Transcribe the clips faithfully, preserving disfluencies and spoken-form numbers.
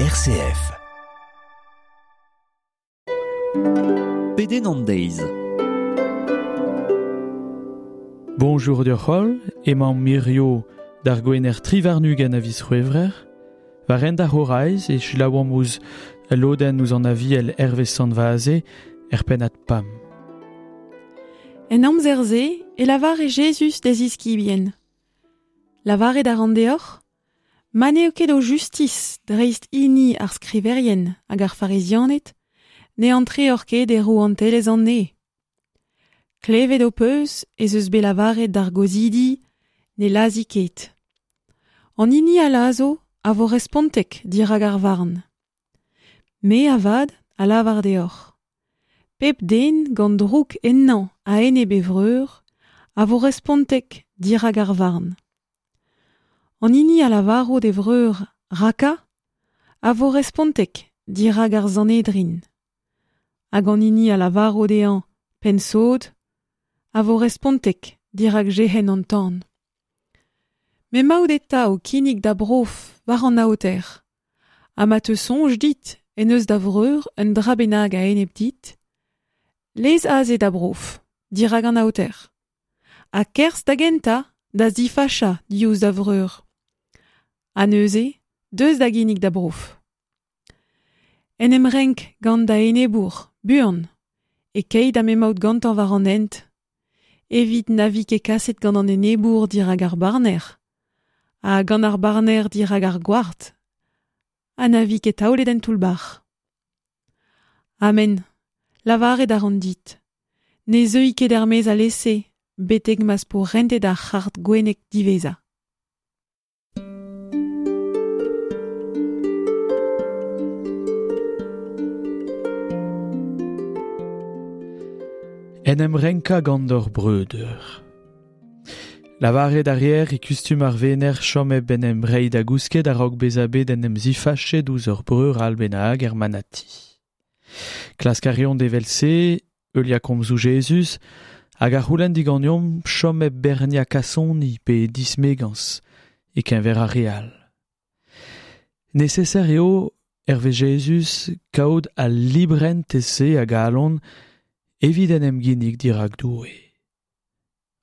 R C F. Pedenn an deiz. Bonjour deoc'h holl, emañ mirio d'ar gwener tri warn-ugent a viz C'hwevrer. War hent ar c'horaiz e selaouomp ouzh lodenn ouzh an aviel Hervé Sant-Vaze er pennad Pam. En amzer-se e lavare Jezuz d'e ziskibien. Lavaret a ran deoc'h, ma n'eo ket o justis dreist hini ar skriverien hag ar farizianed, ne antreoc'h ket e rouantelezh an neñv. Klevet ho peus ez eus bet lavaret d'ar gozhidi ne lazhi ket. An hini a lazho a vo respontek dirak ar varn. Me avat a lavar deoc'h. Pep den gant drouk ennañ a-enep e vreur a vo respontek dirak ar varn. An hini a lavaro d'e vreur raka a vo respontek dirak ar Sanhedrin. Hag an hini a lavaro dezhañ penn-sod a vo respontek dirak Jehenn an tan. M'emaout eta o kinnig da brof war an aoter. Ha ma te soñj dit en eus da vreur un dra bennak a-enep dit, lez aze da brof dirak an aoter. Ha kerzh da gentañ da zifachañ diouzh da vreur. Ha neuze, deus da ginnig da brof. En em renk gant da enebour, buan, e keit ha m'emaout gantañ war an hent, evit na vi ket kaset gant an enebour dirak ar barner, ha gant ar barner dirak ar gward, ha na vi ket taolet en toull-bac'h. Amen, lavaret a ran dit, ne zeui ket er-maez alese, betek ma'z po rentet ar c'hard gwennek diwezhañ. En em renkañ gant ur breudeur. Lavaret a reer e kustum ar vener chom hep en em reiñ da gousket a-raok bezañ bet en em zifachet ouzh ur breur all bennak er manati. Klask a reont evel-se, heuliañ komzoù Jezuz, hag a c'houlenn diganeomp chom hep berniañ kasoni pe dismegañs e-keñver ar re all. Neseser eo, hervez Jezuz, kaout al librentez-se a galon evit en em ginnig dirak Doue.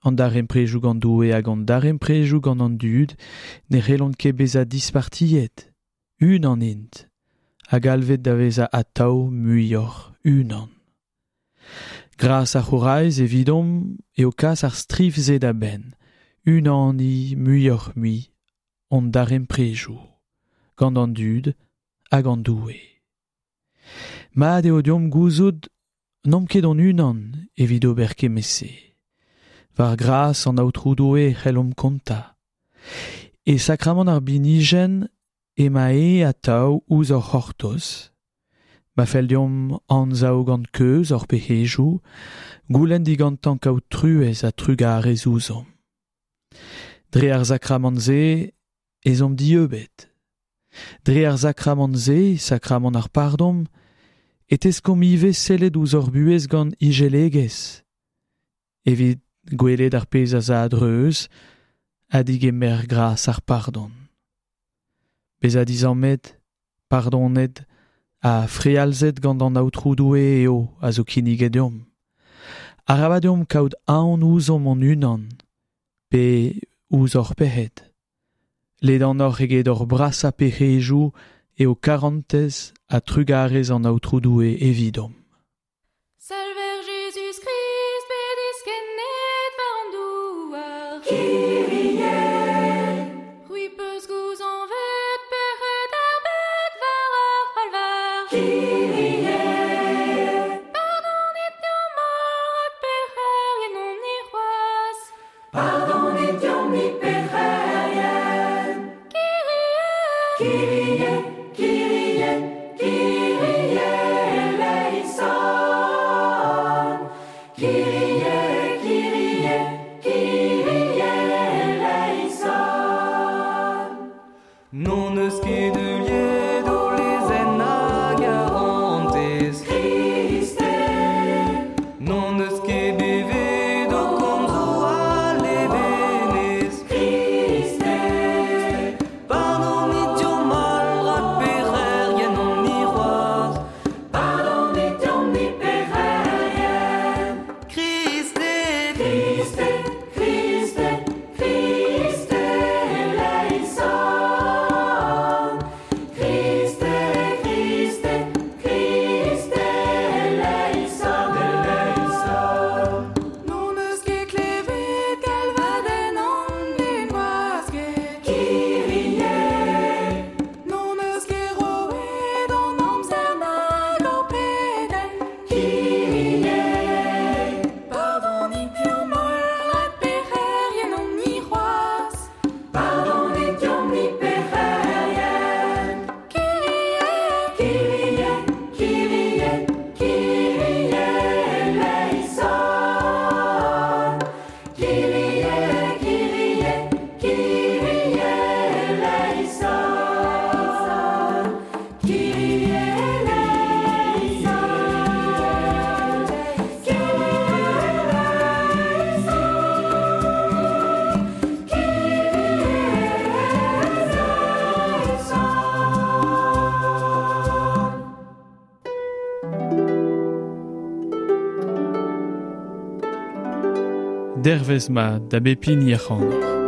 An darempredoù gant Doue hag an darempredoù gant an dud ne c'hellont ket bezañ dispartiet, unan int, hag alvet da vezañ atav muioc'h unan. Gras ar c'horaiz evidomp eo kas ar striv-se da benn, unaniñ muioc'h-mui hon darempredoù, gant an dud hag an Doue. Mat eo deomp gouzout n'omp ket hon unan evit ober kement-se. War gras an Aotrou Doue c'hellomp kontañ. E sakramant ar binijenn ema e atav ouzh hor c'hortoz. Ma fell deomp anzav gant keuz hor pec'hedoù, goulenn digantañ kaout truez ha trugarez ouzhomp. Dre ar sakramant-se ez omp dieubet. Dre ar sakramant-se, sakramant ar pardon, e teskomp ivez sellet ouzh hor buhez gant ijelegezh. Evit gwelet ar pezh a za a-dreuz, ha digemer gras ar pardon. Bezañ dizammet, pardonet, ha frealzet gant an Aotrou Doue eo a zo kinniget deomp. Arabat deomp kaout aon ouzhomp hon-unan, pe ouzh hor pec'hed. Ledanoc'h eget hor brasañ pec'hedoù eo karantez ha trugarez an Aotrou Doue evidomp. Salver Jezuz-Krist bet diskennet war an douar. Kyrie. C'hwi peus gouzañvet pec'hed ar bed war ar c'halvar. Kyrie. Pardonit deomp holl rak pec'herien on-ni c'hoazh. Pardonit deomp-ni pec'herien. Kyrie. Kyrie, Kyrie, Kyrie eleison. Kyrie, Kyrie, Kyrie eleison. Non eus ket heuliet o lezenn a garantez. Kriste. Non eus ket bevet o komzoù a levenez. Kriste. Pardonit deomp holl rak pec'herien Dervez mat da bep hini ac'hanoc'h.